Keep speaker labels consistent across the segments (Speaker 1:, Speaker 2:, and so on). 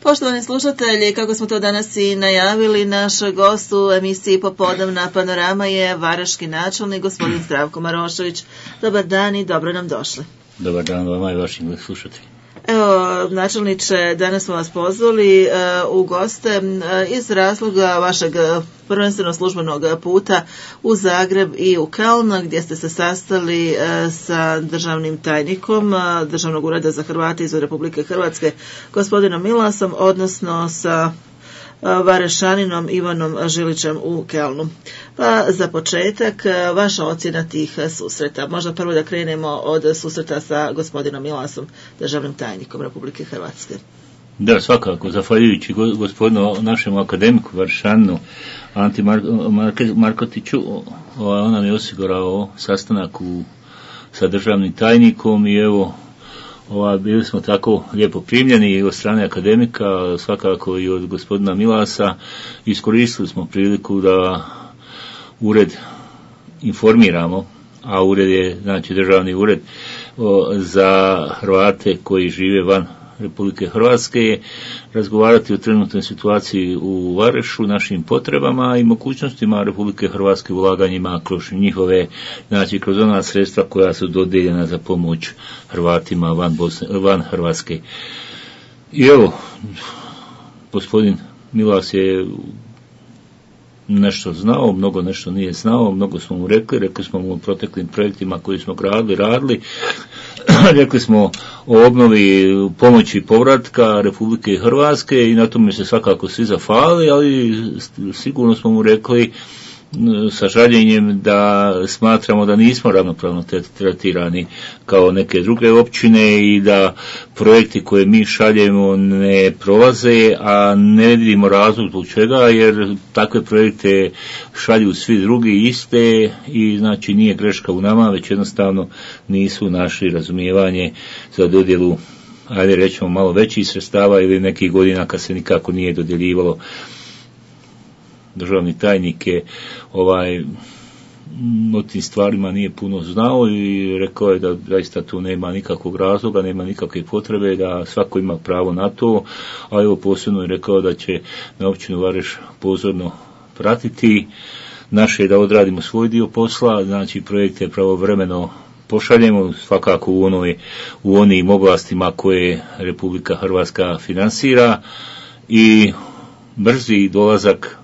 Speaker 1: Poštovani slušatelji, kako smo to danas i najavili, naš gost u emisiji Popodnevna panorama je varaški načelnik gospodin Zdravko Marošević. Dobar dan i dobro nam došli.
Speaker 2: Dobar dan vama i vašim slušateljima.
Speaker 1: Evo, načelniče, danas smo vas pozvali u goste iz razloga vašeg prvenstveno službenog puta u Zagreb i u Keln, gdje ste se sastali sa državnim tajnikom Državnog ureda za Hrvate izvan Republike Hrvatske, gospodinom Milasom, odnosno sa Varešaninom Ivanom Žilićem u Kelnu. Pa za početak, vaša ocjena tih susreta. Možda prvo da krenemo od susreta sa gospodinom Milasom, državnim tajnikom Republike Hrvatske.
Speaker 2: Da, svakako, zahvaljujući gospodinu našem akademiku Varšaninu Anti Markotiću, on nam je osigurao sastanak sa državnim tajnikom i evo, bili smo tako lijepo primljeni od strane akademika, svakako i od gospodina Milasa. Iskoristili smo priliku da ured informiramo, a ured je, znači državni ured za Hrvate koji žive van Republike Hrvatske, razgovarati o trenutnoj situaciji u Varešu, našim potrebama i mogućnostima Republike Hrvatske ulaganjima kroz njihove, znači kroz ona sredstva koja su dodijeljena za pomoć Hrvatima van Hrvatske. I evo, gospodin Milas je nešto znao, mnogo nešto nije znao, mnogo smo mu rekli smo mu o proteklim projektima koji smo radili, rekli smo o obnovi pomoći povratka Republike Hrvatske i na tome se svakako svi zahvalili, ali sigurno smo mu rekli sa žaljenjem da smatramo da nismo ravnopravno tretirani kao neke druge općine i da projekti koje mi šaljemo ne prolaze, a ne vidimo razlog zbog čega, jer takve projekte šalju svi drugi iste i znači nije greška u nama, već jednostavno nisu našli razumijevanje za dodjelu, ajde rećemo malo većih sredstava ili nekih godina kad se nikako nije dodjeljivalo. Državni tajnik je o tim stvarima nije puno znao i rekao je da zaista tu nema nikakvog razloga, nema nikakve potrebe, da svako ima pravo na to, a evo posebno je rekao da će na općinu Vareš pozorno pratiti naše da odradimo svoj dio posla, znači projekte pravovremeno pošaljemo svakako u onim oblastima koje Republika Hrvatska finansira i brzi dolazak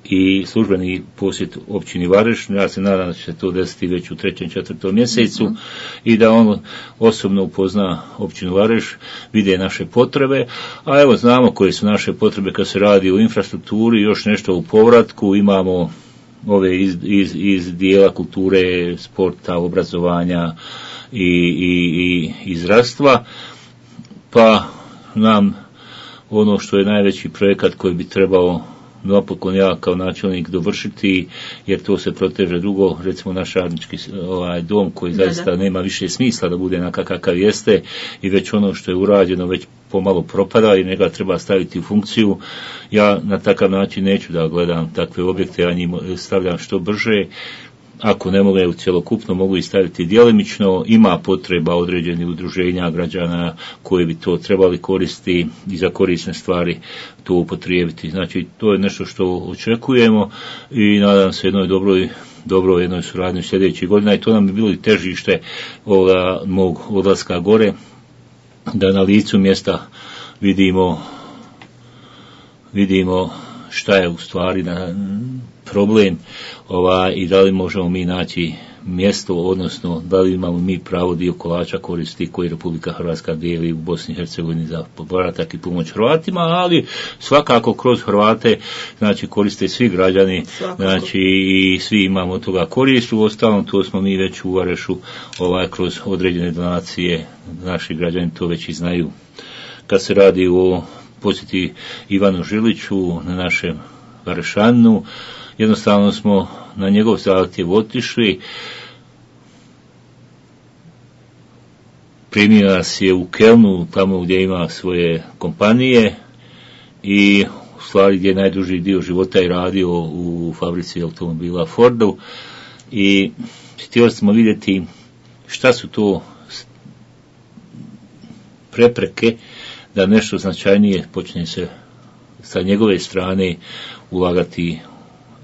Speaker 2: i službeni posjet općini Vareš. Ja se nadam da će se to desiti već u 3. 4. mjesecu i da on osobno upozna općinu Vareš, vide naše potrebe, a evo znamo koje su naše potrebe kad se radi o infrastrukturi, još nešto u povratku, imamo ove iz dijela kulture, sporta, obrazovanja i zdravstva, pa nam ono što je najveći projekat koji bi trebao napokon ja kao načelnik dovršiti, jer to se proteže dugo, recimo naš radnički dom koji zaista nema više smisla da bude kakav jeste i već ono što je urađeno već pomalo propada i njega treba staviti u funkciju. Ja na takav način neću da gledam takve objekte, ja njih stavljam što brže. Ako ne mogu cjelokupno, mogu i staviti djelimično, ima potreba određenih udruženja građana koji bi to trebali koristiti i za korisne stvari to upotrijebiti. Znači, to je nešto što očekujemo i nadam se dobroj jednoj suradnji sljedećih godina i to nam bi bilo i težište mog odlaska gore, da na licu mjesta vidimo šta je u stvari problem i da li možemo mi naći mjesto, odnosno da li imamo mi pravo dio kolača koristi koji Republika Hrvatska dijeli u Bosni i Hercegovini za povratak i pomoć Hrvatima, ali svakako kroz Hrvate znači koriste svi građani, znači i svi imamo od toga korist. Uostalom to smo mi već u Varešu kroz određene donacije, naši građani to već i znaju. Kad se radi o posjeti Ivanu Žiliću na našem Varešaninu, jednostavno smo na njegov zahtjev otišli. Primio nas je u Kelnu, tamo gdje ima svoje kompanije i u stvari gdje je najduži dio života i radio u fabrici automobila Fordu i htjeli smo vidjeti šta su to prepreke da nešto značajnije počne se sa njegove strane ulagati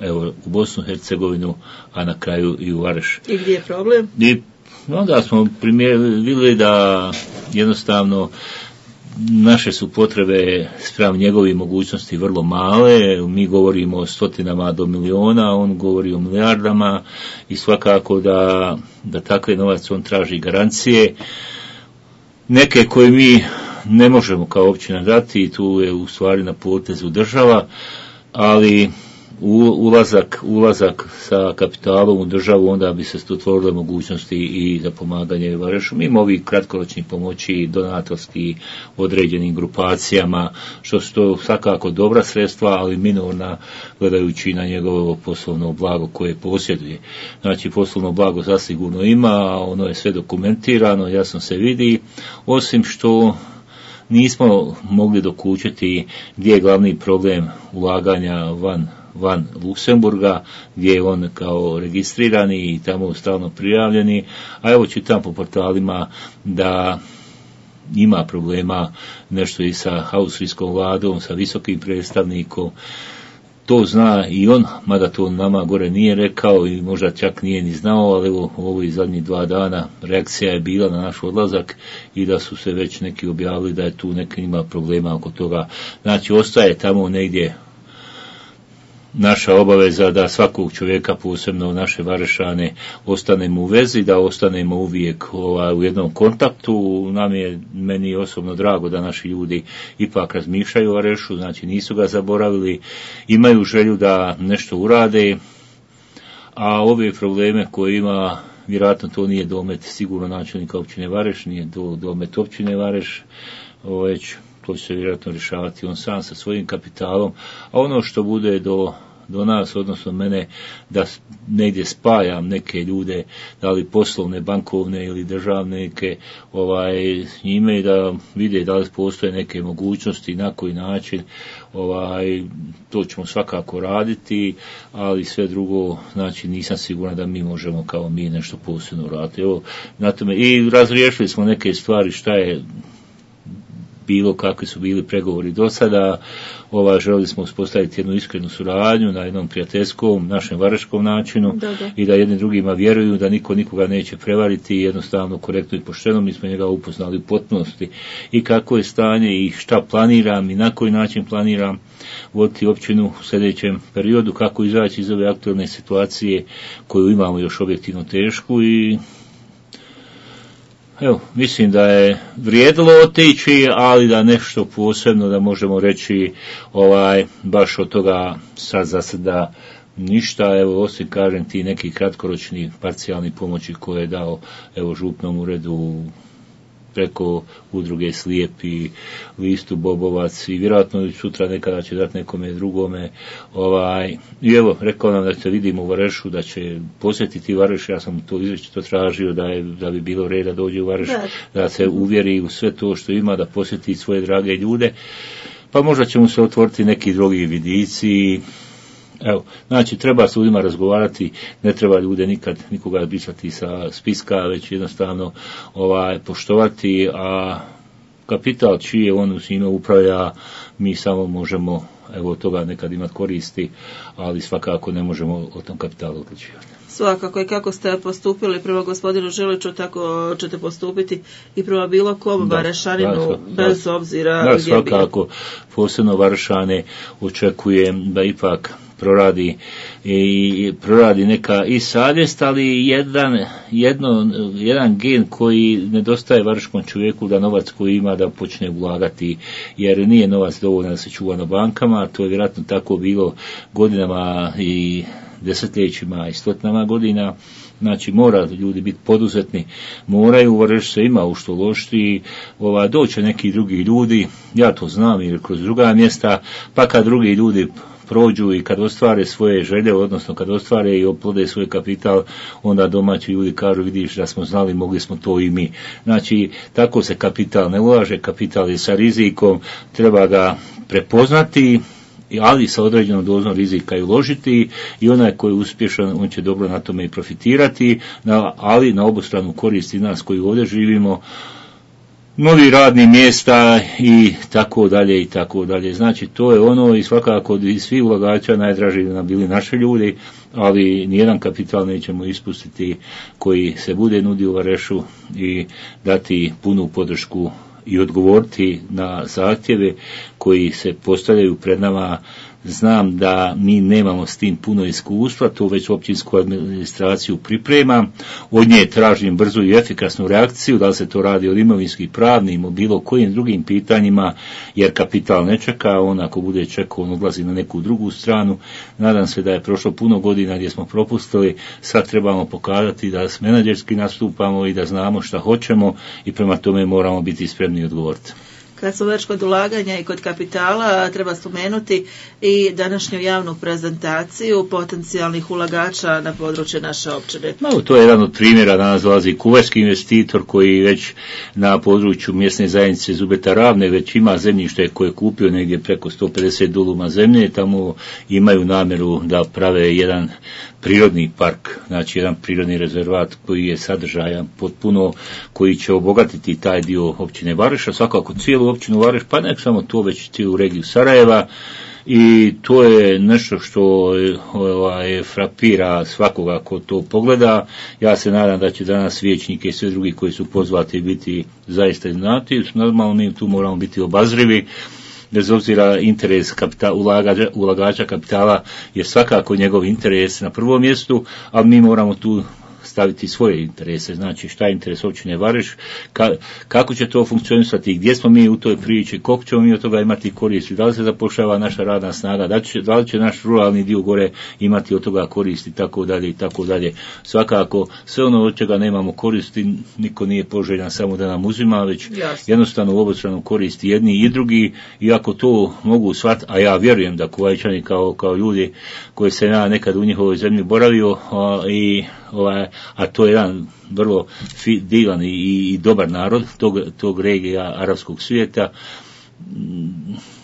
Speaker 2: evo, u Bosnu i Hercegovinu, a na kraju i u Vareš.
Speaker 1: I gdje je problem?
Speaker 2: I onda smo vidjeli da jednostavno naše su potrebe spram njegovih mogućnosti vrlo male, mi govorimo o stotinama do miliona, on govori o milijardama i svakako da takve novac on traži garancije, neke koje mi ne možemo kao općina dati i tu je u stvari na potezu država, ali ulazak sa kapitalom u državu, onda bi se stvorile mogućnosti i za pomaganje Varešu, mimo ovih kratkoročnih pomoći, donatorskih određenim grupacijama, što su to svakako dobra sredstva, ali minorna gledajući na njegovo poslovno blago koje posjeduje. Znači, poslovno blago zasigurno ima, ono je sve dokumentirano, jasno se vidi, osim što nismo mogli dokučiti gdje je glavni problem ulaganja van Luksemburga, gdje je on kao registrirani i tamo stalno prijavljeni, a evo čitam po portalima da ima problema nešto i sa austrijskom vladom, sa visokim predstavnikom, to zna i on, mada to nama gore nije rekao i možda čak nije ni znao, ali evo ovih zadnjih 2 dana reakcija je bila na naš odlazak i da su se već neki objavili da je tu neki ima problema oko toga. Znači, ostaje tamo negdje naša obaveza da svakog čovjeka, posebno naše Varešane, ostanemo u vezi, da ostanemo uvijek u jednom kontaktu. Meni je osobno drago da naši ljudi ipak razmišljaju o Varešu, znači nisu ga zaboravili, imaju želju da nešto urade, a ove probleme koje ima, vjerojatno to nije domet sigurno načelnika općine Vareš, nije domet općine Vareš, već to će se vjerojatno rješavati on sam sa svojim kapitalom, a ono što bude do nas, odnosno mene, da negdje spajam neke ljude, da li poslovne, bankovne ili državne neke, s njime i da vide da li postoje neke mogućnosti, na koji način, to ćemo svakako raditi, ali sve drugo, znači nisam siguran da mi možemo kao mi nešto posebno raditi. Evo, na tome, i razriješili smo neke stvari, šta je bilo, kakvi su bili pregovori do sada, želili smo uspostaviti jednu iskrenu suradnju na jednom prijateljskom, našem vareškom načinu i da jedni drugima vjeruju da niko nikoga neće prevariti, jednostavno, korektno i pošteno. Mi smo njega upoznali u potpunosti i kako je stanje i šta planiram i na koji način planiram voditi općinu u sljedećem periodu, kako izaći iz ove aktualne situacije koju imamo još objektivno tešku i evo, mislim da je vrijedilo otići, ali da nešto posebno da možemo reći baš od toga sad za sada ništa, evo osim kažem ti neki kratkoročni parcijalni pomoći koje je dao evo župnom uredu preko udruge Slijepi, listu Bobovac i vjerojatno sutra nekada će dati nekome drugome. I evo, rekao nam da se vidimo u Varešu, da će posjetiti Vareš, ja sam to izričito tražio da bi bilo reda dođe u Vareš, da se uvjeri u sve to što ima, da posjeti svoje drage ljude, pa možda će mu se otvoriti neki drugi vidici. Evo, znači treba s ljudima razgovarati, ne treba ljude nikoga brisati sa spiska, već jednostavno poštovati, a kapital čiji je on s njime upravlja, mi samo možemo od toga nekad imati koristi, ali svakako ne možemo o tom kapitalu odlučivati.
Speaker 1: Svakako, i kako ste postupili prema gospodinu Žiliću, tako ćete postupiti i prema bilo kom Varešaninu, bez obzira gdje bi.
Speaker 2: Svakako, posebno Varešane očekujem da ipak proradi neka i savjest, ali jedan gen koji nedostaje vareškom čovjeku, da novac koji ima da počne ulagati, jer nije novac dovoljno da se čuva na bankama, to je vjerojatno tako bilo godinama i desetljećima i stotinama godina. Znači mora ljudi biti poduzetni, moraju, Vareš se ima u što lošiti, doće neki drugi ljudi, ja to znam jer kroz druga mjesta, pa kad drugi ljudi prođu i kad ostvare svoje želje, odnosno kad ostvare i oplode svoj kapital, onda domaći ljudi kažu, vidiš da smo znali, mogli smo to i mi. Znači, tako se kapital ne ulaže, kapital je sa rizikom, treba ga prepoznati, ali sa određenom dozom rizika i uložiti, i onaj koji je uspješan, on će dobro na tome i profitirati, ali na obostranu korist i nas koji ovdje živimo, novi radni mjesta i tako dalje i tako dalje. Znači to je ono i svakako i svi ulagača najdraži nam bili naši ljudi, ali nijedan kapital nećemo ispustiti koji se bude nudio u Varešu i dati punu podršku i odgovoriti na zahtjeve koji se postavljaju pred nama. Znam da mi nemamo s tim puno iskustva, to već općinsku administraciju pripremam, od nje tražim brzu i efikasnu reakciju, da li se to radi o imovinskih, pravnim, o bilo kojim drugim pitanjima, jer kapital ne čeka, on ako bude čekao, on odlazi na neku drugu stranu. Nadam se da je prošlo puno godina gdje smo propustili, sad trebamo pokazati da menadžerski nastupamo i da znamo šta hoćemo i prema tome moramo biti spremni i odgovoriti.
Speaker 1: Kad smo već kod ulaganja i kod kapitala, treba spomenuti i današnju javnu prezentaciju potencijalnih ulagača na području naše općine.
Speaker 2: To je jedan od primjera, danas dolazi kuvajski investitor koji već na području mjesne zajednice Zubeta Ravne već ima zemljište koje je kupio negdje preko 150 duluma zemlje, tamo imaju namjeru da prave jedan prirodni park, znači jedan prirodni rezervat koji je sadržajan potpuno, koji će obogatiti taj dio općine Vareša, svakako cijelu općinu Vareš, pa nek samo to već cijelu regiju Sarajeva, i to je nešto što frapira svakoga ko to pogleda. Ja se nadam da će danas vijećnike i sve drugi koji su pozvati biti zaista znati. Normalno mi tu moramo biti obazrivi, bez obzira interes ulagača kapitala je svakako njegov interes na prvom mjestu, ali mi moramo tu staviti svoje interese, znači šta je interes općine Vareš, kako će to funkcionisati, gdje smo mi u toj priči, koliko ćemo mi od toga imati koristi, da li se zapošljava naša radna snaga, da li će naš ruralni dio gore imati od toga koristi, tako dalje i tako dalje. Svakako, sve ono od čega nemamo koristi, niko nije poželjan samo da nam uzima, već jednostavno u obostranu koristi jedni i drugi, i ako to mogu shvatiti, a ja vjerujem da Kuvajčani kao ljudi koji se ja nekad u njihovoj zemlji boravio, a to je jedan vrlo divan i dobar narod tog regija arapskog svijeta.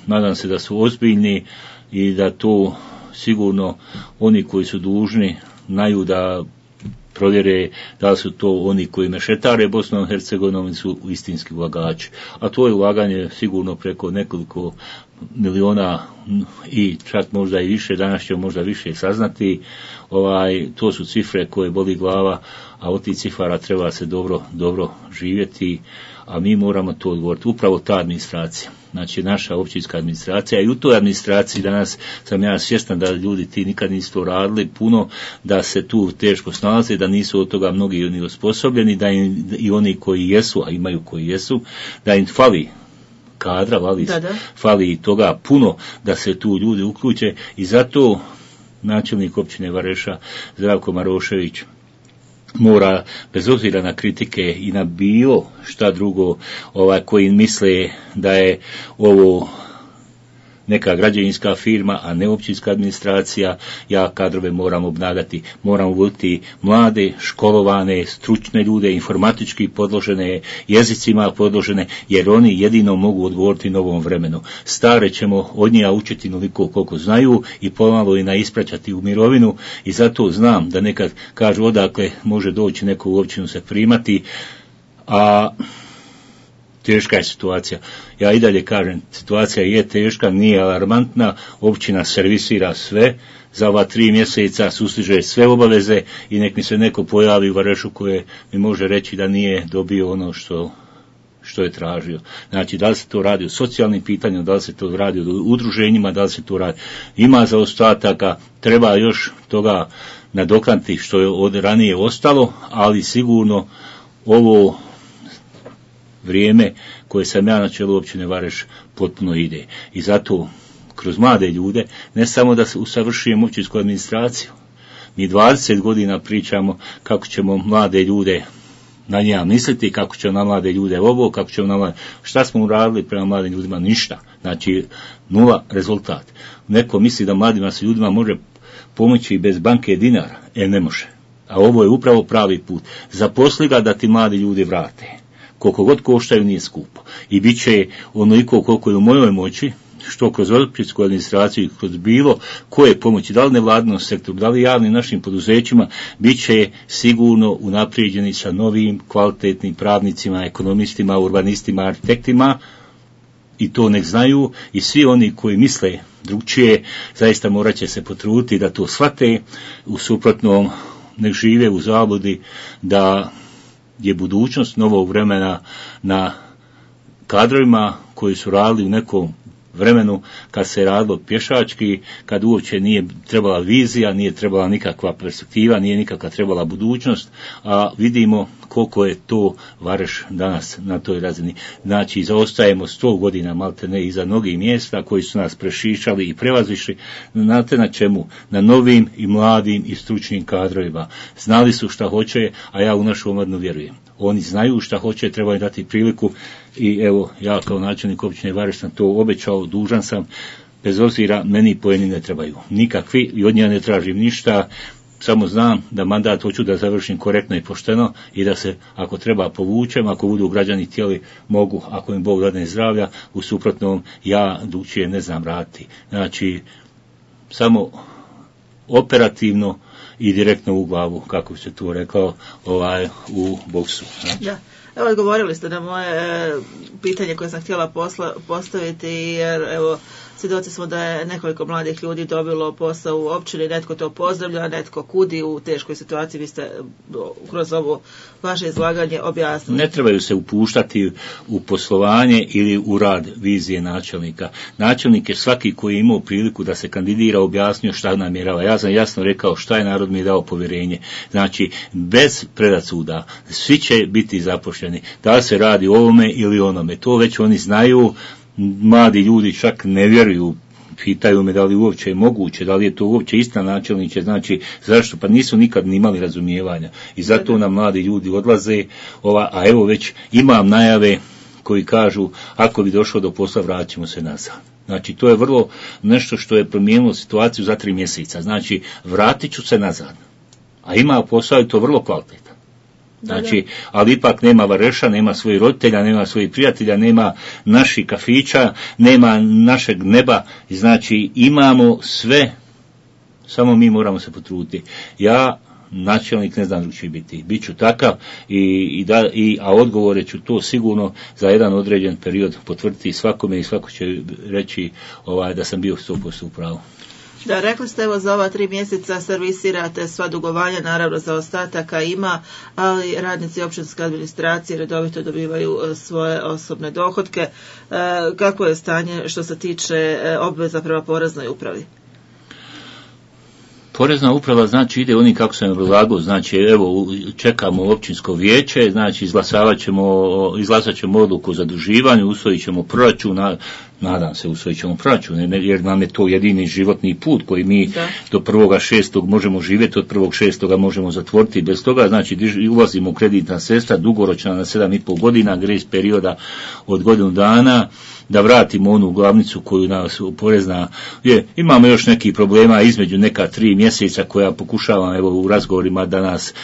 Speaker 2: Nadam se da su ozbiljni i da to sigurno oni koji su dužni znaju da provjere da li su to oni koji mešetare Bosnom i Hercegovinom su istinski ulagači. A to je ulaganje sigurno preko nekoliko miliona i čak možda i više, danas ćemo možda više saznati. To su cifre koje boli glava, a od tih cifara treba se dobro živjeti, a mi moramo to odgovoriti. Upravo ta administracija, znači naša općinska administracija, i u toj administraciji danas sam ja svjestan da ljudi ti nikad nisu to radili puno, da se tu teško snalaze, da nisu od toga mnogi ni osposobljeni, da im, i oni koji jesu, a imaju koji jesu, da im fali kadra, fali i toga puno da se tu ljudi uključe, i zato načelnik općine Vareša Zdravko Marošević mora, bez obzira na kritike i na bilo šta drugo koji misle da je ovo neka građevinska firma, a ne općinska administracija, ja kadrove moram obnagati. Moram voditi mlade, školovane, stručne ljude, informatički podložene, jezicima podložene, jer oni jedino mogu odgovoriti novom vremenu. Stare ćemo od njega učiti noliko koliko znaju i pomalo i naispraćati u mirovinu, i zato znam da nekad kažu odakle može doći neko u općinu se primati, a teška je situacija. Ja i dalje kažem, situacija je teška, nije alarmantna, općina servisira sve, za ova 3 mjeseca sustiže sve obaveze, i nek mi se neko pojavi u Varešu koje mi može reći da nije dobio ono što je tražio. Znači, da li se to radi o socijalnim pitanjima, da li se to radi o udruženjima, da li se to radi. Ima zaostataka, treba još toga nadoknati što je od ranije ostalo, ali sigurno ovo vrijeme koje sam ja na čelu općine Vareš potpuno ide. I zato kroz mlade ljude, ne samo da se usavršujemo općinsku administraciju, mi 20 godina pričamo kako ćemo mlade ljude na njega misliti, kako ćemo na mlade ljude ovo, kako ćemo na mlade. Šta smo uradili prema mladim ljudima? Ništa. Znači, 0 rezultat. Neko misli da mladima se ljudima može pomoći bez banke dinara. Ne može. A ovo je upravo pravi put. Zaposli ga da ti mladi ljudi vrate. Koliko god koštaju nije skupo. I bit će onoliko koliko je u mojoj moći, što kroz općinsku administraciju, kroz bilo koje pomoći, da li nevladinom sektoru, da li javnim našim poduzećima, bit će sigurno unaprijeđeni sa novim kvalitetnim pravnicima, ekonomistima, urbanistima, arhitektima, i to nek znaju, i svi oni koji misle drugčije zaista morat će se potruditi da to shvate, u suprotnom nek žive u zabludi da je budućnost novog vremena na kadrovima koji su radili u nekom vremenu kad se radilo pješački, kad uopće nije trebala vizija, nije trebala nikakva perspektiva, nije nikakva trebala budućnost, a vidimo koliko je to Vareš danas na toj razini. Znači, zaostajemo 100 godina malte ne iza mnogih mjesta koji su nas prešišali i prevazišli. Znate na čemu? Na novim i mladim i stručnim kadrovima. Znali su šta hoće, a ja u našu omladinu vjerujem. Oni znaju šta hoće, treba im dati priliku, i evo, ja kao načelnik općine Vareš sam to obećao, dužan sam, bez obzira, meni poeni ne trebaju nikakvi i od njega ne tražim ništa, samo znam da mandat hoću da završim korektno i pošteno i da se, ako treba, povučem, ako budu građani htjeli, mogu, ako im Bog dadne zdravlja, u suprotnom ja drugčije ne znam raditi. Znači, samo operativno i direktno u glavu, kako bi se tu rekao, u boksu. Znači.
Speaker 1: Da. Evo, odgovorili ste na moje pitanje koje sam htjela postaviti, jer evo, svjedoci smo da je nekoliko mladih ljudi dobilo posao u općini, netko to pozdravlja, netko kudi u teškoj situaciji, vi ste kroz ovo vaše izlaganje objasnili.
Speaker 2: Ne trebaju se upuštati u poslovanje ili u rad vizije načelnika. Načelnik je svaki koji je imao priliku da se kandidira, objasnio šta namjerava. Ja sam jasno rekao šta je narod mi dao povjerenje. Znači, bez predrasuda, svi će biti zaposleni. Da se radi o ovome ili onome, to već oni znaju. Mladi ljudi čak ne vjeruju, pitaju me da li uopće je moguće, da li je to uopće istina načelniče, znači zašto, pa nisu nikad ni imali razumijevanja i zato nam mladi ljudi odlaze, a evo već imam najave koji kažu ako bi došlo do posla vratit ćemo se nazad. Znači to je vrlo nešto što je promijenilo situaciju za 3 mjeseca, znači vratit ću se nazad, a ima posao i to vrlo kvalitetan. Znači, ali ipak nema Vareša, nema svojih roditelja, nema svojih prijatelja, nema naših kafića, nema našeg neba, znači imamo sve, samo mi moramo se potruditi. Ja, načelnik, ne znam drugčije biti, bit ću takav, a odgovore ću to sigurno za jedan određen period potvrditi svakome i svako će reći da sam bio 100% u pravu.
Speaker 1: Da, rekli ste, evo, za ova 3 mjeseca servisirate sva dugovanja, naravno za ostataka ima, ali radnici općinske administracije redovito dobivaju svoje osobne dohotke. Kako je stanje što se tiče obveza prema poreznoj upravi?
Speaker 2: Porezna uprava, znači, ide oni kako sam obrazlagao, znači, evo, čekamo općinsko vijeće, znači, izglasat ćemo odluku o zaduživanju, usvojit ćemo proračun, nadam se usvojit ćemo proračun, jer nam je to jedini životni put koji mi do 1.6. možemo živjeti, od 1.6. možemo zatvoriti, bez toga, znači, ulazimo u kreditna sredstva, dugoročna na 7,5 godina, grace perioda od godinu dana, da vratimo onu glavnicu koju nas porezna imamo još nekih problema između neka 3 mjeseca koja pokušavam evo u razgovorima da nas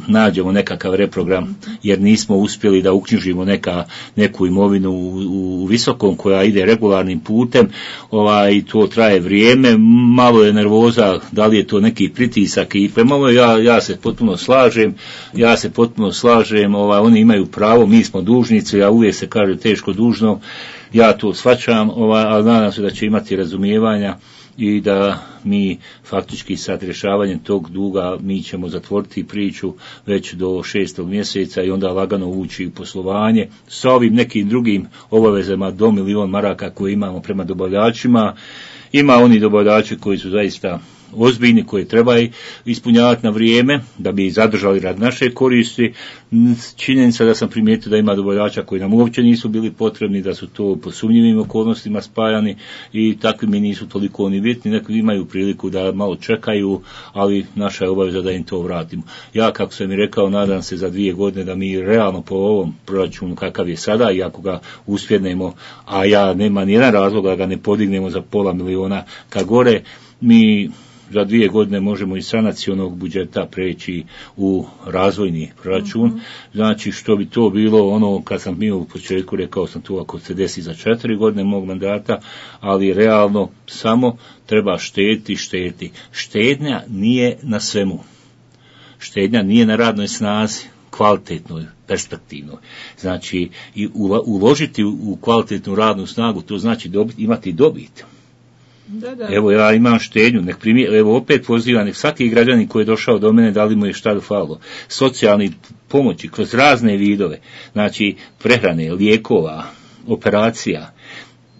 Speaker 2: nađemo nekakav reprogram, jer nismo uspjeli da uknjižimo neku imovinu u Visokom koja ide regularnim putem, i to traje vrijeme, malo je nervoza, da li je to neki pritisak i prema ovo ja se potpuno slažem, oni imaju pravo, mi smo dužnici, ja uvijek se kaže teško dužno, ja to shvaćam, ali nadam se da će imati razumijevanja i da mi faktički sad rješavanjem tog duga mi ćemo zatvoriti priču već do 6. mjeseca i onda lagano ući u poslovanje sa ovim nekim drugim obavezama do 1 milion maraka koje imamo prema dobavljačima. Ima oni dobavljači koji su zaista ozbiljni, koje treba ispunjavati na vrijeme da bi zadržali rad naše koristi. Činjenica da sam primijetio da ima dobavljača koji nam uopće nisu bili potrebni, da su to po sumnjivim okolnostima spajani i takvi mi nisu toliko ni bitni, neki imaju priliku da malo čekaju, ali naša je obaveza da im to vratimo. Ja, kako sam i rekao, nadam se za 2 godine da mi realno po ovom proračunu kakav je sada, i ako ga uspjednemo, a ja nema nijedan razlog da ga ne podignemo za 0,5 miliona ka gore, mi za 2 godine možemo iz sanacionog budžeta preći u razvojni proračun. Znači što bi to bilo ono kad sam bio u početku rekao sam to ako se desi za 4 godine mog mandata, ali realno samo treba štediti. Štednja nije na svemu. Štednja nije na radnoj snazi, kvalitetnoj, perspektivnoj. Znači i uložiti u kvalitetnu radnu snagu, to znači imati dobit.
Speaker 1: Da.
Speaker 2: Evo ja imam štednju, evo opet pozivam, nek svaki građanin koji je došao do mene, da li mu je šta falilo, socijalni pomoći kroz razne vidove, znači prehrane, lijekova, operacija,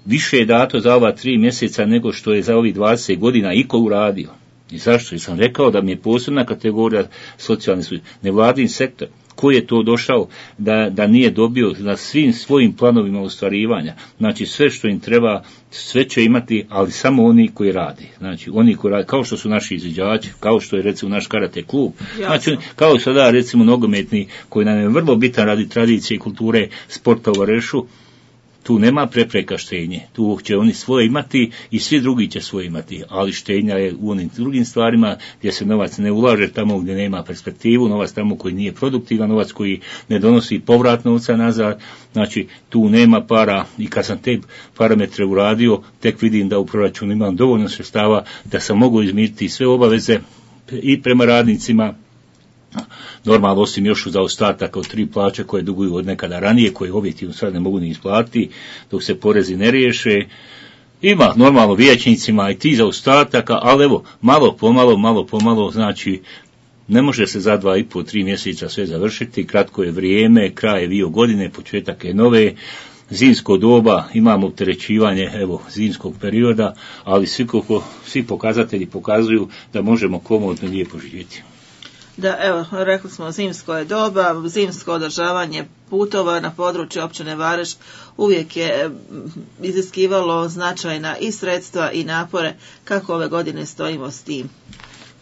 Speaker 2: više je dato za ova 3 mjeseca nego što je za ovih 20 godina iko uradio. I zašto? Jer sam rekao da mi je posebna kategorija socijalni službe, nevladin sektor, koji je to došao da nije dobio na svim svojim planovima ostvarivanja. Znači sve što im treba, sve će imati, ali samo oni koji rade. Znači oni koji rade, kao što su naši izviđači, kao što je recimo naš karate klub, znači kao sada recimo nogometni koji nam je vrlo bitan radi tradicije i kulture sporta u Varešu. Tu nema prepreka štednje, tu će oni svoje imati i svi drugi će svoje imati, ali štednja je u onim drugim stvarima gdje se novac ne ulaže tamo gdje nema perspektivu, novac tamo koji nije produktivan, novac koji ne donosi povrat novca nazad, znači tu nema para i kad sam te parametre uradio, tek vidim da u proračunu imam dovoljno sredstava da sam mogu izmiriti sve obaveze i prema radnicima, normalno osim još u zaostataka od 3 plaće koje duguju od nekada ranije, koje objektivno sad ne mogu ni isplatiti dok se porezi ne riješe. Ima normalno vijećnicima i ti zaostataka, ali evo malo pomalo, znači ne može se za 2,5-3 mjeseca sve završiti, kratko je vrijeme, kraj je bio godine, početak je nove, zimsko doba, imamo opterećivanje zimskog perioda, ali svi pokazatelji pokazuju da možemo komodno lijepo živjeti.
Speaker 1: Da, evo, rekli smo zimsko je doba, zimsko održavanje putova na području općine Vareš uvijek je iziskivalo značajna i sredstva i napore. Kako ove godine stojimo s tim?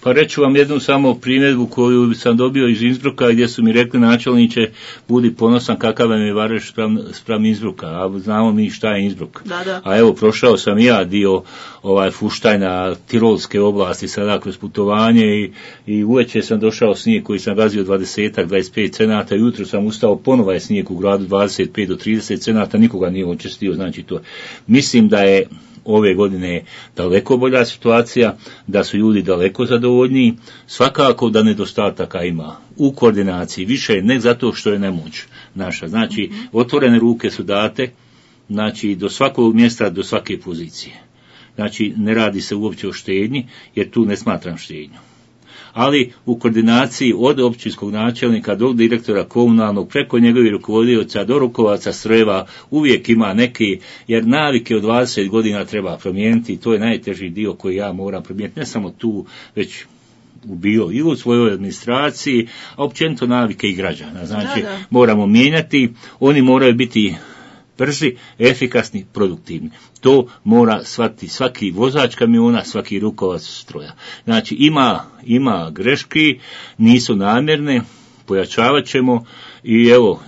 Speaker 2: Pa reću vam jednu samo primjedbu koju sam dobio iz Innsbrucka gdje su mi rekli načelniče budi ponosan kakav vam je Vareš spram Innsbrucka, a znamo mi šta je Innsbruck.
Speaker 1: Da.
Speaker 2: A evo prošao sam ja dio Fuštajna, Tirolske oblasti sada kroz putovanje i uveče sam došao snijeg koji sam gazio 20-25 cenata, jutro sam ustao ponovo je snijeg u gradu 25 do 30 cenata, nikoga nije očistio, znači to. Mislim da je ove godine daleko bolja situacija, da su ljudi daleko zadovoljniji, svakako da nedostataka ima u koordinaciji, više ne zato što je nemoć naša, znači otvorene ruke su date, znači do svakog mjesta, do svake pozicije. Znači ne radi se uopće o štednji, jer tu ne smatram štednju. Ali u koordinaciji od općinskog načelnika do direktora komunalnog, preko njegovih rukovodioca do rukovaca strojeva, uvijek ima neki, jer navike od 20 godina treba promijeniti i to je najteži dio koji ja moram promijeniti, ne samo tu, već bio i u svojoj administraciji, a općenito navike i građana. Znači moramo mijenjati, oni moraju biti brzi, efikasni, produktivni. To mora shvatiti svaki vozač kamiona, svaki rukovac stroja. Znači ima greški, nisu namjerne, pojačavat ćemo i evo,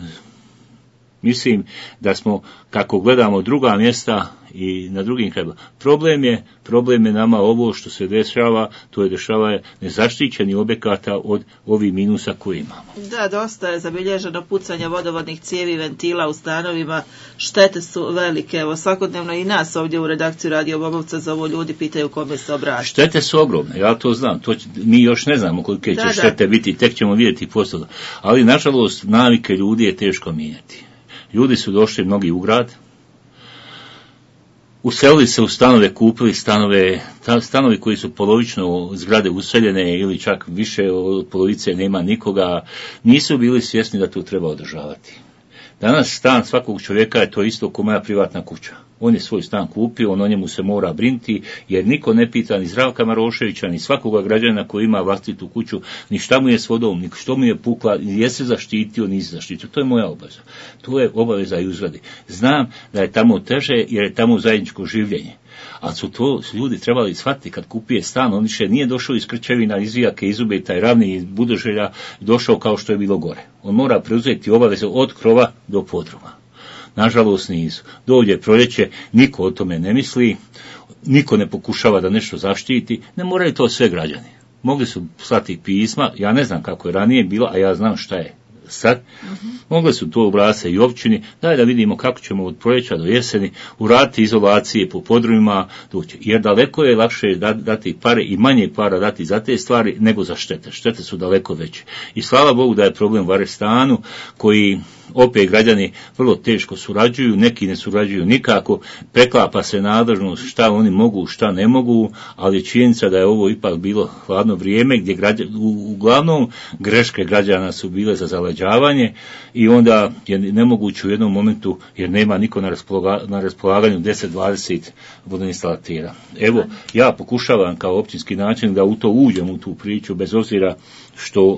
Speaker 2: mislim da smo, kako gledamo druga mjesta i na drugim krajima, problem je nama ovo što se dešava, to je dešava nezaštićeni objekata od ovih minusa koje imamo.
Speaker 1: Da, dosta je zabilježeno pucanje vodovodnih cijevi, ventila u stanovima, štete su velike, evo svakodnevno i nas ovdje u redakciji Radio Bobovca zovu ljudi, pitaju kome se obraćati.
Speaker 2: Štete su ogromne, ja to znam, mi još ne znamo kolike će štete biti, tek ćemo vidjeti poslije. Ali nažalost navike ljudi je teško mijenjati. Ljudi su došli mnogi u grad, uselili se u stanove, kupili stanovi koji su polovično zgrade useljene ili čak više od polovice nema nikoga, nisu bili svjesni da to treba održavati. Danas stan svakog čovjeka je to isto kao moja privatna kuća. On je svoj stan kupio, on o njemu se mora brinuti, jer niko ne pita ni Zdravka Maroševića, ni svakoga građana koji ima vlastitu kuću, ni šta mu je s vodom, ni što mu je pukla, ni je se zaštitio, ni zaštitio. To je moja obaveza. To je obaveza i uzradi. Znam da je tamo teže, jer je tamo zajedničko življenje. Ali su to ljudi trebali shvatiti kad kupije stan, on više nije došao iz Krčevina, iz Vijake, iz Ubeta i Ravni, iz Budoželja, došao kao što je bilo gore. On mora preuzeti obaveze od krova do podruma. Nažalost nisu. Dođe proljeće, niko o tome ne misli, niko ne pokušava da nešto zaštiti, ne moraju to sve građani. Mogli su slati pisma, ja ne znam kako je ranije bilo, a ja znam šta je sad. Mogli su to obrasce i općini, daj da vidimo kako ćemo od proljeća do jeseni uraditi izolacije po podrumima, jer daleko je lakše dati pare i manje para dati za te stvari nego za štete. Štete su daleko veće. I slava Bogu da je problem u Varestanu, koji opet građani vrlo teško surađuju, neki ne surađuju nikako, preklapa se nadležnost šta oni mogu, šta ne mogu, ali činjenica da je ovo ipak bilo hladno vrijeme gdje uglavnom greške građana su bile za zaleđavanje i onda je nemoguće u jednom momentu, jer nema niko na raspolaganju 10-20 vodoinstalatera. Evo, ja pokušavam kao općinski načelnik da u to uđem u tu priču, bez obzira što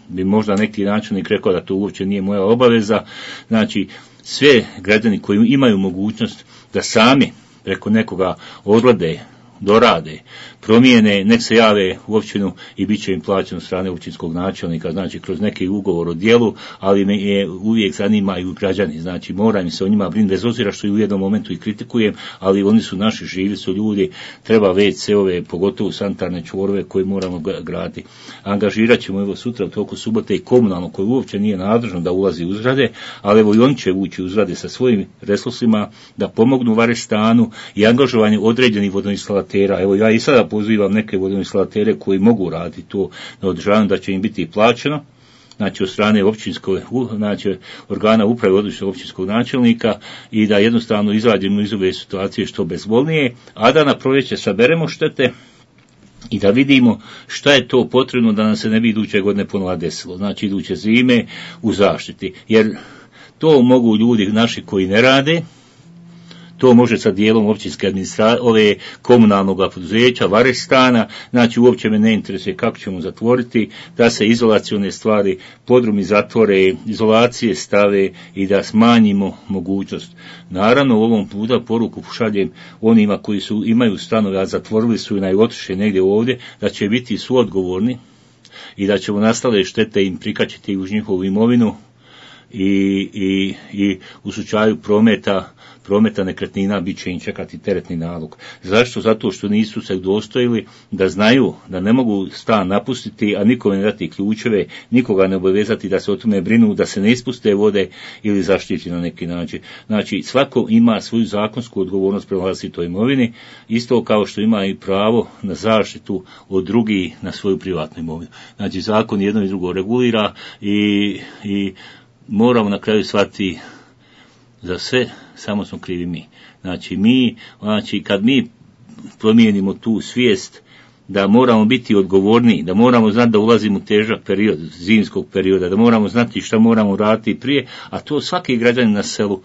Speaker 2: bi možda neki načelnik rekao da to uopće nije moja obaveza. Znači, sve građani koji imaju mogućnost da sami preko nekoga odlade, dorade, promijene, nek se jave u općinu i bit će im plaćeno strane općinskog načelnika, znači kroz neki ugovor o djelu, ali me je uvijek zanimaju građani, znači moram se o njima brinuti, bez obzira što i u jednom momentu i kritikujem, ali oni su naši, živi su ljudi, treba WC-ove, pogotovo sanitarne čvorove koje moramo graditi. Angažirat ćemo evo sutra u toku subote i komunalno, koje uopće nije nadležno da ulazi u zgrade, ali evo i oni će ući u zgrade sa svojim resursima da pomognu Varestanu i angažovanju određenih vodoinstalatera. Evo ja i sada pozivam neke vodoinstalatere koji mogu raditi to na održavanju, da će im biti plaćeno, znači od strane općinskog, znači organa uprave odlučnog općinskog načelnika i da jednostavno izađemo iz ove situacije što bezbolnije, a da na proljeće saberemo štete i da vidimo šta je to potrebno da nam se ne bi iduće godine ponovno desilo, znači iduće zime u zaštiti, jer to mogu ljudi naši koji ne rade, to može sa dijelom općinske administracije, komunalnog poduzeća, Varestana, znači uopće me ne interesuje kako ćemo zatvoriti, da se izolacione stvari, podrumi zatvore, izolacije stave i da smanjimo mogućnost. Naravno, u ovom puta poruku šaljem onima koji imaju stanove, a zatvorili su i najotišli negdje ovdje, da će biti suodgovorni i da ćemo nastale štete im prikačiti uz njihovu imovinu i u slučaju prometa nekretnina bit će im čekati teretni nalog. Zašto? Zato što nisu se dostojili da znaju da ne mogu stan napustiti, a nikome ne dati ključeve, nikoga ne obavezati da se o tome brinu, da se ne ispuste vode ili zaštiti na neki način. Znači, svako ima svoju zakonsku odgovornost prema vlastitoj imovini, isto kao što ima i pravo na zaštitu od drugih na svoju privatnu imovinu. Znači, zakon jedno i drugo regulira i moramo na kraju shvatiti za sve, samo smo krivi mi. Znači, kad mi promijenimo tu svijest da moramo biti odgovorni, da moramo znati da ulazimo u težak period, zimskog perioda, da moramo znati šta moramo raditi prije, a to svaki građanin na selu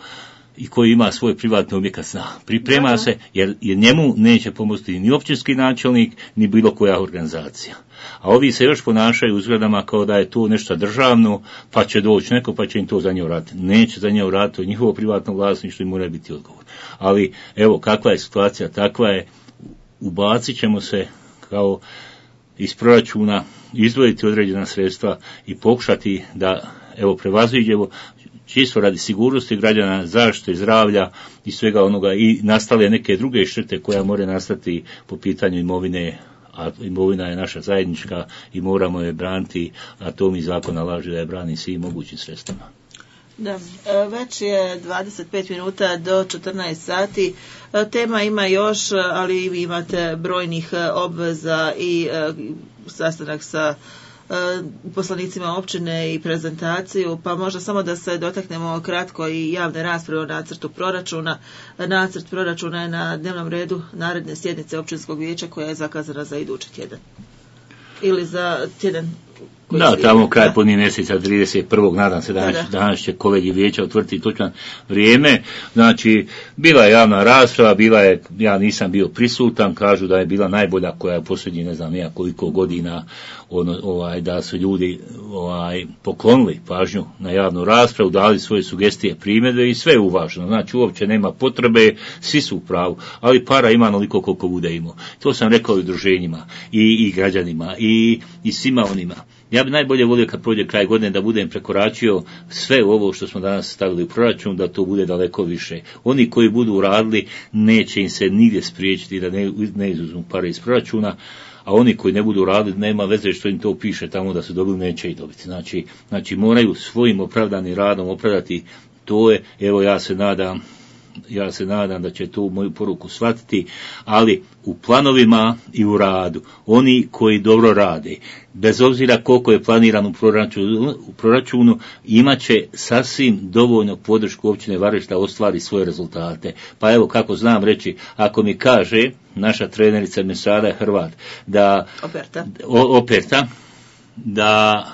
Speaker 2: i koji ima svoj privatni objekat zna. Priprema se, jer njemu neće pomoći ni općinski načelnik, ni bilo koja organizacija. A ovi se još ponašaju u zgradama kao da je to nešto državno, pa će doći neko, pa će im to za nje uraditi. Neće za nje uraditi, to je njihovo privatno vlasništvo i mora biti odgovor. Ali, evo, kakva je situacija, takva je, ubacit ćemo se kao iz proračuna, izdvojiti određena sredstva i pokušati da, evo, prevaziđemo, čisto radi sigurnosti građana, zaštite zdravlja i svega onoga i nastale neke druge štete koja more nastati po pitanju imovine, a imovina je naša zajednička i moramo je braniti, a to mi zakon nalaže da je brani svim mogućim sredstvima.
Speaker 1: Da, već je 25 minuta do 14 sati. Tema ima još, ali i vi imate brojnih obveza i sastanak sa poslanicima općine i prezentaciju, pa možda samo da se dotaknemo kratko i javne rasprave o nacrtu proračuna. Nacrt proračuna je na dnevnom redu naredne sjednice općinskog vijeća koja je zakazana za idući tjedan. Ili za tjedan.
Speaker 2: Da, tamo kraj podnije mjeseca 31. nadam se danas će kolegi vijeća utvrditi točno vrijeme. Znači, bila je javna rasprava, ja nisam bio prisutan, kažu da je bila najbolja koja je posljednji ne znam koliko godina da su ljudi poklonili pažnju na javnu raspravu, dali svoje sugestije, primjedbe i sve je uvaženo. Znači, uopće nema potrebe, svi su u pravu, ali para ima onoliko koliko bude imao. To sam rekao i udruženjima i građanima i svima onima. Ja bi najbolje volio kad prođe kraj godine da budem prekoračio sve ovo što smo danas stavili u proračun, da to bude daleko više. Oni koji budu radili neće im se nigdje spriječiti da ne izuzmu pare iz proračuna, a oni koji ne budu radili, nema veze što im to piše tamo da su dobili, neće ih dobiti. Znači moraju svojim opravdanim radom opravdati to je, evo ja se nadam da će tu moju poruku shvatiti, ali u planovima i u radu, oni koji dobro rade, bez obzira koliko je planirano u proračunu, imat će sasvim dovoljno podršku općine Vareš da ostvari svoje rezultate. Pa evo, kako znam reći, ako mi kaže naša trenerica Mesara Hrvat, da Operta, da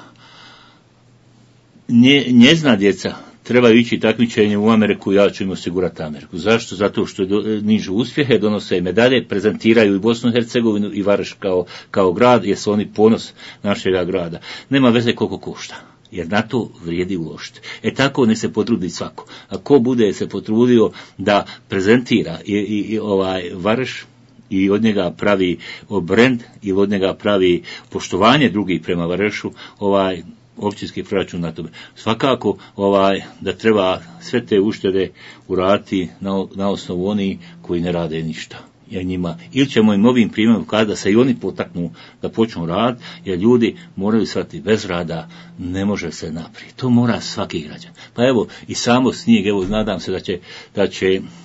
Speaker 2: njezina djeca trebaju ići takmičenje u Ameriku, ja ću im osigurati Ameriku. Zašto? Zato što nižu uspjehe, donose medalje, prezentiraju i Bosnu i Hercegovinu i Vareš kao grad, jer su oni ponos našega grada. Nema veze koliko košta, jer na to vrijedi uložiti. Tako ne se potrudi svako. A ko bude se potrudio da prezentira i Vareš, i od njega pravi brend, i od njega pravi poštovanje drugih prema Varešu, općinski proračun na tome. Svakako da treba sve te uštede uraditi na osnovu oni koji ne rade ništa. Jer njima, ili ćemo im ovim primjerom kada da se i oni potaknu da počnu rad, jer ljudi moraju shvatiti bez rada ne može se naprijed. To mora svaki građan. Pa evo i samo snijeg, evo nadam se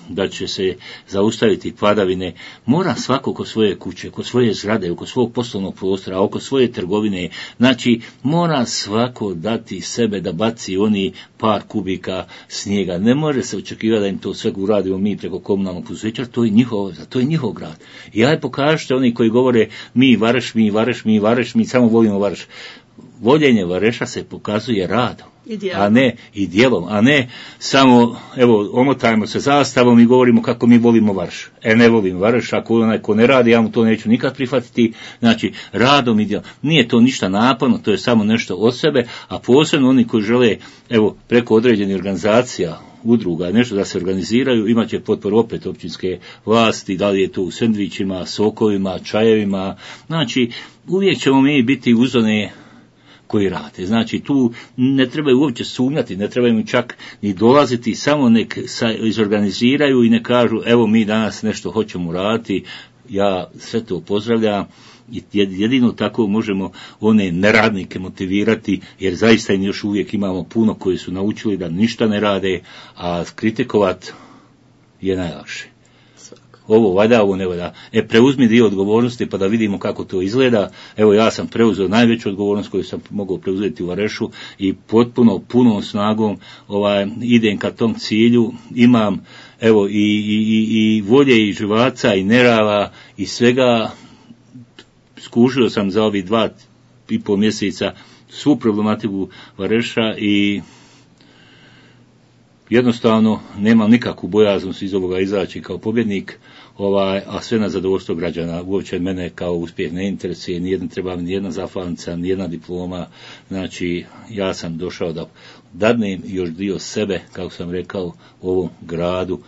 Speaker 2: da će se zaustaviti padavine. Mora svako oko svoje kuće, oko svoje zgrade, oko svog poslovnog prostora, oko svoje trgovine. Znači mora svako dati sebe da baci oni par kubika snijega. Ne može se očekivati da im to sve uradimo mi preko komunalnog poduzeća, to je njihov grad. I aj pokažite oni koji govore mi Vareš, mi samo volimo Vareš. Voljenje Vareša se pokazuje radom, i djelom, a ne samo, evo, omotajmo se zastavom i govorimo kako mi volimo Vareš. Ne volim Vareš, ako onaj ko ne radi, ja mu to neću nikad prihvatiti. Znači, radom i djelom. Nije to ništa naporno, to je samo nešto od sebe, a posebno oni koji žele, evo, preko određenih organizacija, udruga, nešto da se organiziraju, imat će potporu opet općinske vlasti, da li je to u sendvičima, sokovima, čajevima. Znači, uvijek ćemo mi biti uz one koji rade. Znači, tu ne trebaju uopće sumnjati, ne trebaju čak ni dolaziti, samo nek izorganiziraju i ne kažu, evo mi danas nešto hoćemo raditi, ja sve to pozdravljam. Jedino tako možemo one neradnike motivirati, jer zaista im još uvijek imamo puno koji su naučili da ništa ne rade, a kritikovat je najlakše. Ovo valja, ovo ne valja. Preuzmi dio odgovornosti pa da vidimo kako to izgleda. Evo, ja sam preuzeo najveću odgovornost koju sam mogao preuzeti u Varešu i punom snagom idem ka tom cilju. Imam evo i volje i živaca i nerava i svega. Skužio sam za ovih 2,5 mjeseca svu problematiku Vareša i jednostavno nemam nikakvu bojaznost iz ovoga izaći kao pobjednik, a sve na zadovoljstvo građana. Uopće mene kao uspjeh ne interesuje, treba mi nijedna zahvalnica, nijedna diploma. Znači, ja sam došao da dadnem još dio sebe, kako sam rekao, u ovom gradu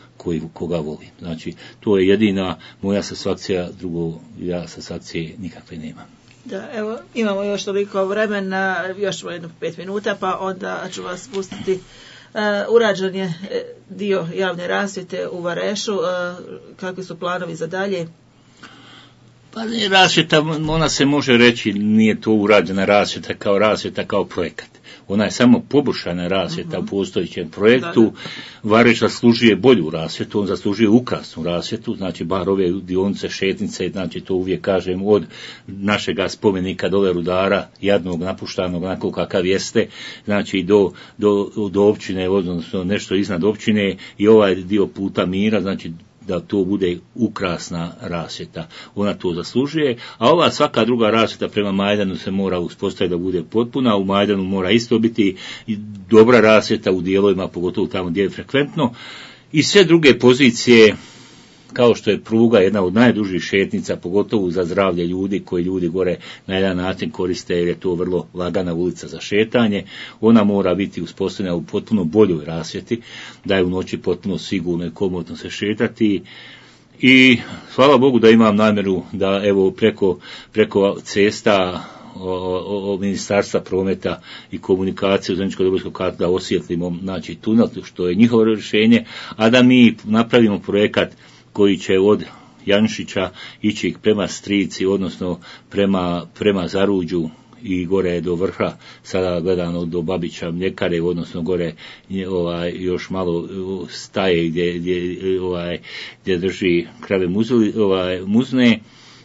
Speaker 2: koga volim. Znači, to je jedina moja satisfakcija, drugo ja satisfakcije nikakve nemam.
Speaker 1: Da, evo, imamo još toliko vremena, još 5 minuta, pa onda ću vas pustiti. Urađen je dio javne rasvjete u Varešu, kakvi su planovi za dalje?
Speaker 2: Pa rasvjeta, ona se može reći, nije to urađena rasvjeta kao projekat. Ona je samo poboljšana rasvjeta u postojećem projektu. Vareš zaslužuje bolju rasvjetu, on zaslužuje ukrasnu rasvjetu, znači bar ove dionice, šetnice, znači to uvijek kažem, od našega spomenika dole Rudara, jadnog, napuštanog, onako kakav jeste, znači do općine, odnosno nešto iznad općine i ovaj dio puta Mira, znači da to bude ukrasna rasvjeta. Ona to zaslužuje, a ova svaka druga rasvjeta prema Majdanu se mora uspostaviti da bude potpuna, u Majdanu mora isto biti dobra rasvjeta u dijelovima, pogotovo tamo gdje je frekventno, i sve druge pozicije, kao što je pruga, jedna od najdužih šetnica, pogotovo za zdravlje ljudi, koji ljudi gore na jedan način koriste, jer je to vrlo lagana ulica za šetanje. Ona mora biti uspostavljena u potpuno boljoj rasvjeti, da je u noći potpuno sigurno i komotno se šetati. I hvala Bogu da imam namjeru da evo preko cesta Ministarstva prometa i komunikacije u Zeničko-Dobojskog kata da osvjetlimo, znači, tunel, što je njihovo rješenje, a da mi napravimo projekat koji će od Janšića ići prema Strici, odnosno prema Zaruđu i gore do vrha, sada gledano do Babića mljekare, odnosno gore još malo staje gdje drži krave muzne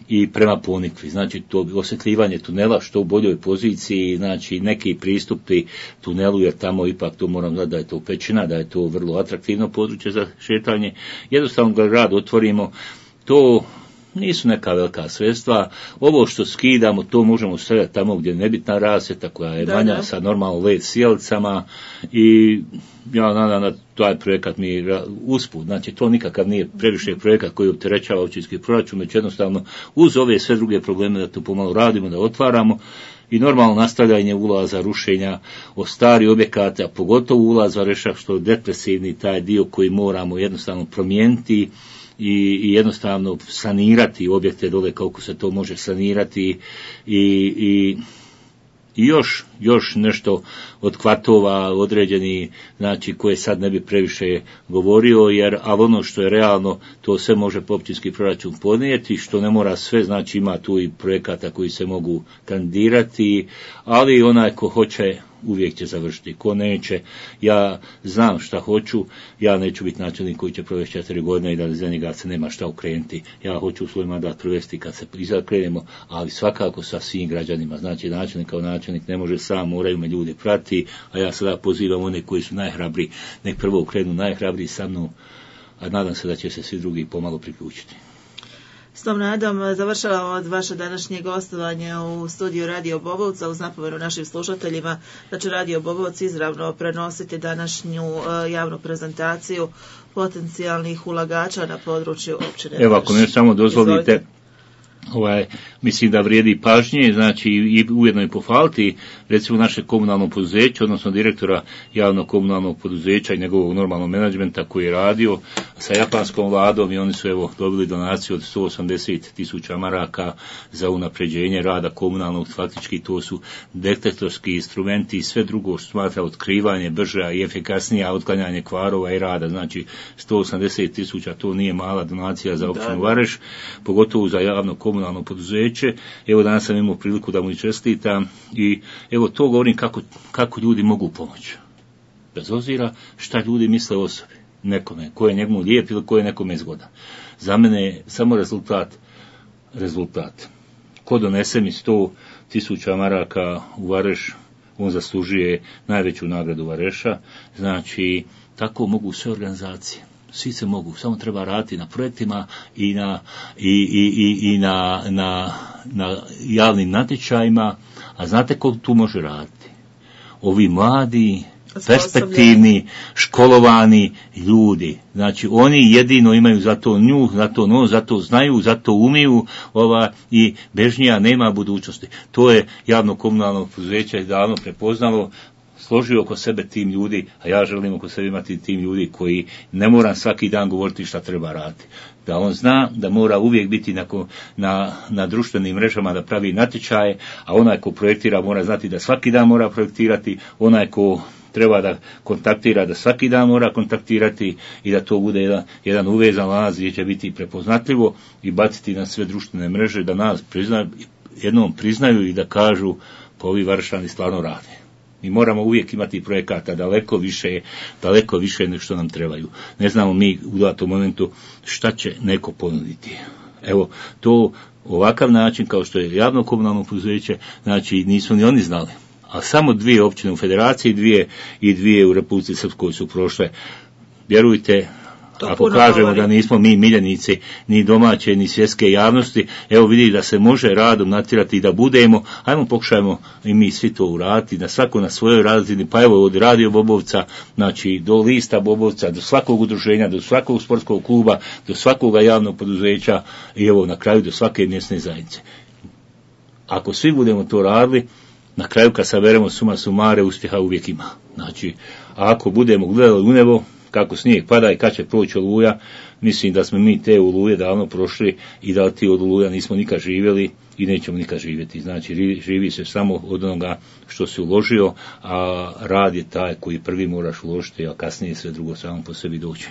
Speaker 2: i prema Ponikvi. Znači to osvjetljivanje tunela što u boljoj poziciji, znači neki pristupi tunelu, jer tamo ipak to moram znati da je to pećina, da je to vrlo atraktivno područje za šetanje. Jednostavno ga grad otvorimo, to nisu neka velika sredstva. Ovo što skidamo, to možemo stavljati tamo gdje je nebitna rasvjeta, koja je manja, sa normalno led sjelicama, i ja nadam da taj projekat mi usput. Znači to nikakav nije previše projekat koji opterećava općinski proračun, već jednostavno uz ove sve druge probleme da to pomalo radimo, da otvaramo, i normalno nastavljanje ulaza, rušenja od starih objekata, pogotovo ulaz Vareša, što je depresivni taj dio koji moramo jednostavno promijeniti i jednostavno sanirati objekte dole koliko se to može sanirati, i još nešto od kvatova određeni, znači koje sad ne bi previše govorio, ali ono što je realno, to sve može općinski proračun podnijeti, što ne mora sve, znači ima tu i projekata koji se mogu kandidirati, ali onaj ko hoće uvijek će završiti, ko neće, ja znam šta hoću, ja neću biti načelnik koji će provesti 4 godine i da za njega se nema šta ukrenuti, ja hoću svoj mandat provesti kad se izakrenemo, ali svakako sa svim građanima, znači načelnik kao načelnik ne može sam, moraju me ljudi prati, a ja sada pozivam one koji su najhrabriji, nek prvo ukrenu najhrabriji sa mnom, a nadam se da će se svi drugi pomalo priključiti.
Speaker 1: S tom nadom završavamo od vaše današnje gostovanje u studiju Radio Bobovca, uz napomenu našim slušateljima da će Radio Bobovac izravno prenositi današnju javnu prezentaciju potencijalnih ulagača na području općine.
Speaker 2: Evo, ako mi samo dozvolite, mislim da vrijedi pažnje, znači i ujedno i pohvaliti recimo naše komunalno poduzeće, odnosno direktora javnog komunalnog poduzeća i njegovog normalnog menadžmenta koji je radio sa japanskom vladom, i oni su dobili donaciju od 180.000 maraka za unapređenje rada komunalnog, faktički to su detektorski instrumenti i sve drugo što smatra otkrivanje brže i efikasnije otklanjanje kvarova i rada, znači 180.000, to nije mala donacija za općinu Vareš, pogotovo za javno komunalno poduzeće. Evo danas sam imao priliku da mu čestitam i evo to govorim kako ljudi mogu pomoći. Bez obzira šta ljudi misle o osobi, nekome, ko je njemu lijep ili ko je nekome zgodan. Za mene je samo rezultat. Ko donese mi 100.000 maraka u Vareš, on zaslužuje najveću nagradu Vareša, znači tako mogu sve organizacije. Svi se mogu, samo treba raditi na projektima i na javnim natječajima, a znate ko tu može raditi? Ovi mladi, perspektivni, školovani ljudi. Znači oni jedino imaju za to njuh, za to znaju, za to umiju, i bežnija nema budućnosti. To je javno komunalno poduzeće davno prepoznalo, složio oko sebe tim ljudi, a ja želim oko sebe imati tim ljudi koji ne moram svaki dan govoriti šta treba raditi. Da on zna da mora uvijek biti na društvenim mrežama da pravi natječaje, a onaj ko projektira mora znati da svaki dan mora projektirati, onaj ko treba da kontaktira da svaki dan mora kontaktirati i da to bude jedan uvezan lanac gdje će biti prepoznatljivo i baciti na sve društvene mreže da nas jednom priznaju i da kažu pa ovi Varešani stvarno rade. Mi moramo uvijek imati projekata daleko više nego što nam trebaju. Ne znamo mi u datom momentu šta će neko ponuditi. Evo, to ovakav način kao što je javno komunalno poduzeće, znači nisu ni oni znali. A samo 2 općine u federaciji, 2 u Republici Srpskoj su prošle. Vjerujte, ako kažemo da nismo mi miljenici ni domaće ni svjetske javnosti, evo vidi da se može radom natjerati i da budemo, ajmo pokušajmo i mi svi to uraditi, da svako na svojoj razini, pa evo od Radio Bobovca, znači do lista Bobovca, do svakog udruženja, do svakog sportskog kluba, do svakog javnog poduzeća i evo na kraju do svake mjesne zajednice. Ako svi budemo to radili, na kraju kad saberemo suma sumare, uspjeha uvijek ima. Znači, a ako budemo gledali u nebo, kako snijeg pada i kad će proći Oluja, mislim da smo mi te Oluje davno prošli i da ti od Oluja nismo nikad živjeli i nećemo nikad živjeti. Znači, živi se samo od onoga što se uložio, a rad je taj koji prvi moraš uložiti, a kasnije sve drugo samo po sebi doći.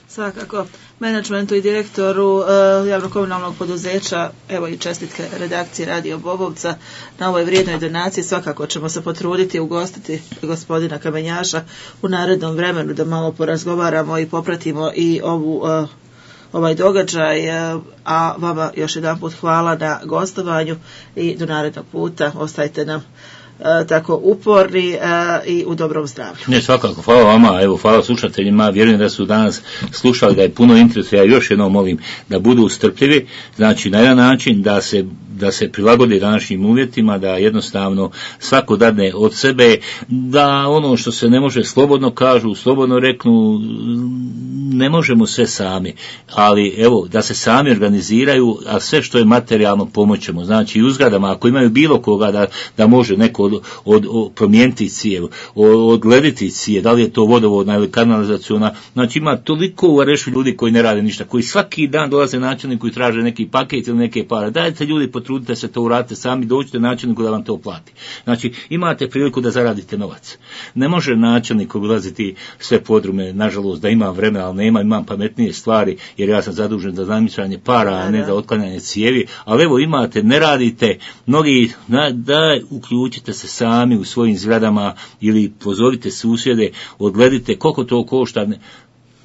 Speaker 1: Svakako, menadžmentu i direktoru javno-komunalnog poduzeća, evo i čestitke redakcije Radio Bobovca na ovoj vrijednoj donaciji. Svakako ćemo se potruditi i ugostiti gospodina Kamenjaša u narednom vremenu da malo porazgovaramo i popratimo i ovaj događaj, a vama još jedanput hvala na gostovanju i do narednog puta. Ostajte nam tako uporni i u dobrom zdravlju.
Speaker 2: Ne, svakako, hvala vama, evo, hvala slušateljima, vjerujem da su danas slušali, da je puno interesa, ja još jednom molim da budu strpljivi, znači na jedan način da se prilagode današnjim uvjetima, da jednostavno svako dadne od sebe, da ono što se ne može slobodno kažu, slobodno reknu, ne možemo sve sami, ali evo, da se sami organiziraju, a sve što je materijalno pomoćemo, znači i u zgradama, ako imaju bilo koga da može neko od promijeniti cijev, odglediti cijev, da li je to vodovodna ili kanalizaciona, znači ima toliko u Varešu ljudi koji ne rade ništa, koji svaki dan dolaze načelniku i traže neki paket ili neke pare, dajte ljudi, potrudite se to uradite sami, dođite načelniku da vam to plati. Znači, imate priliku da zaradite novac. Ne može načelnik obilaziti sve podrume, nažalost, da imam vremena, ali imam pametnije stvari, jer ja sam zadužen za zamicanje para, a ne za otklanjanje cijevi, ali evo imate, ne radite, mnogi, da uključite se sami u svojim zgradama ili pozovite susjede, odgledite koliko to košta,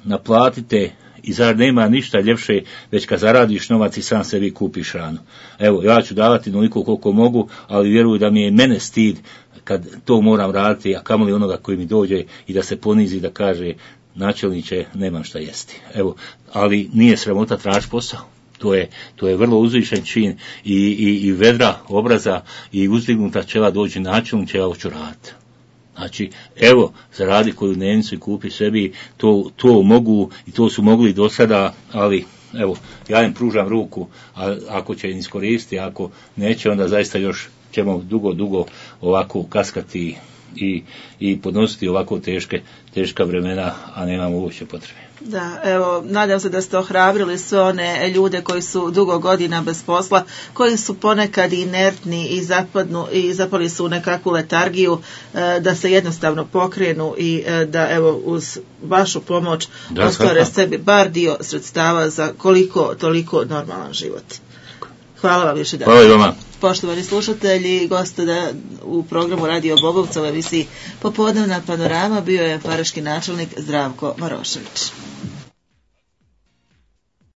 Speaker 2: naplatite i zar nema ništa ljepše već kad zaradiš novac i sam sebi kupiš hranu. Evo, ja ću davati onoliko koliko mogu, ali vjeruju da mi je mene stid kad to moram raditi, a kamoli onoga koji mi dođe i da se ponizi da kaže načelniče, nemam šta jesti. Evo, ali nije sramota tražiti posao. To je vrlo uzvišen čin i vedra obraza i uzdignuta čela dođe načelniče, ja hoću raditi. Znači, evo, zaradi koju dnevnicu i kupi sebi, to mogu i to su mogli do sada, ali evo, ja im pružam ruku, a ako će iskoristiti, ako neće, onda zaista još ćemo dugo ovako kaskati i podnositi ovako teška vremena, a nemamo uopće potrebe.
Speaker 1: Da, evo, nadam se da ste ohrabrili sve one ljude koji su dugo godina bez posla, koji su ponekad inertni i zapali su u nekakvu letargiju, da se jednostavno pokrenu i da evo uz vašu pomoć ostvare sebi bar dio sredstava za koliko toliko normalan život. Hvala vam još jedan.
Speaker 2: Hvala i vama.
Speaker 1: Poštovani slušatelji, gosta u programu Radio Bobovca u emisiji Popodnevna panorama bio je vareški načelnik Zdravko Marošević.